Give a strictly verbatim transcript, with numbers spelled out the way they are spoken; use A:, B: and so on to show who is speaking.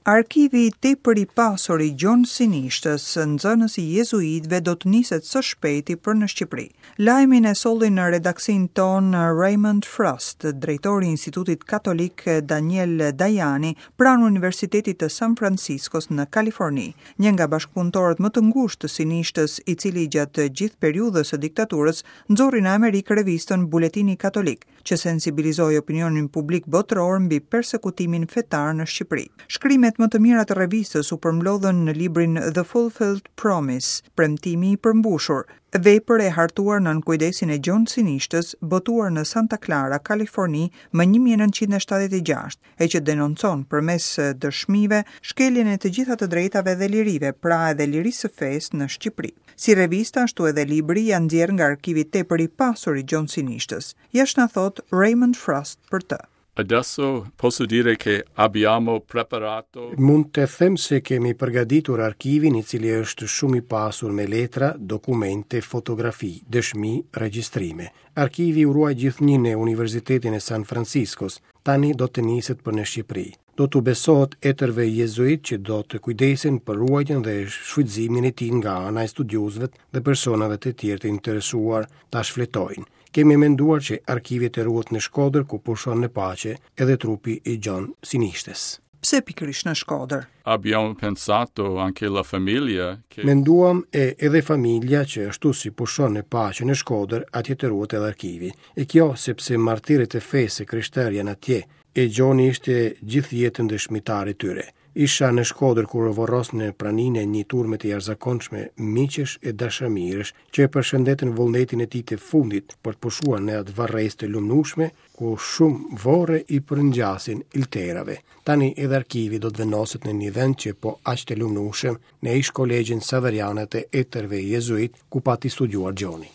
A: Arkivi tepër i pasur i Gjon Sinishtës, nxënës i jezuitëve, do të niset së shpejti për në Shqipëri. Lajmin e solli në redaksinë tonë Raymond Frost, drejtori i Institutit Katolik Daniel Dajani pranë Universitetit të San Franciscos në Kaliforni, një nga bashkëpunëtorët më të ngushtë të Sinishtës, i cili gjatë gjithë periudhës së diktaturës nxori në Amerikë revistën Buletini Katolik, që sensibilizoi opinionin publik botëror mbi persekutimin fetar në Shqipëri. Shkrimet më të mira të revistës u përmblodhën në librin The Fulfilled Promise, Premtimi i përmbushur, vepër e hartuar nën kujdesin e Gjon Sinishtës, botuar në Santa Clara, Kaliforni, më një mijë e nëntëqind e shtatëdhjetë e gjashtë, e që denoncon përmes dëshmive shkeljen e të gjitha të drejtave dhe lirive, pra edhe lirisë së fesë në Shqipëri. Si revista, ashtu edhe libri janë nxjerrë nga arkivi tepër i pasur i Gjon Sinishtës. Ja ç'na thot Raymond Frost për të.
B: Adesso posso dire che abbiamo preparato.
C: Mund të them se kemi përgatitur arkivin, i cili është shumë i pasur me letra, dokumente, fotografi, dëshmi, regjistrime. Arkivi u ruaj gjithnjë në Universitetin e San Franciscos, tani do të niset për në Shqipëri. Do t'u besohet etërve jezuit që do të kujdesen për ruajtjen dhe shfrytëzimin e tij nga ana e studiuesve dhe personave të tjerë të interesuar ta shfletojnë. Kemi menduar që arkivi të ruhet në Shkodër, ku pushon në paqe edhe trupi i Gjon Sinishtës.
A: Pse pikërisht në Shkodër?
B: Abbiamo pensato anche la famiglia che
C: Menduam e edhe familja që ashtu si pushon në paqe në Shkodër, atje të ruhet edhe arkivi. E kjo sepse martirët e fesë krishterë janë atje, e Gjoni ishte gjithë jetën dëshmitar i tyre. Isha në Shkodër kur u vorros në praninë e një turme të jashtëzakonshme miqesh e dashamirësh që e përshëndetën vullnetin e tij të fundit për të pushuar në atë varrezë të lumnueshme ku shumë vorre i përngjasin ilterave. Tani edhe arkivi do të vendoset në një vend që po aq të lumnueshëm, në ish kolegjin Saveriane të etërve jezuit ku pati studiuar Gjoni.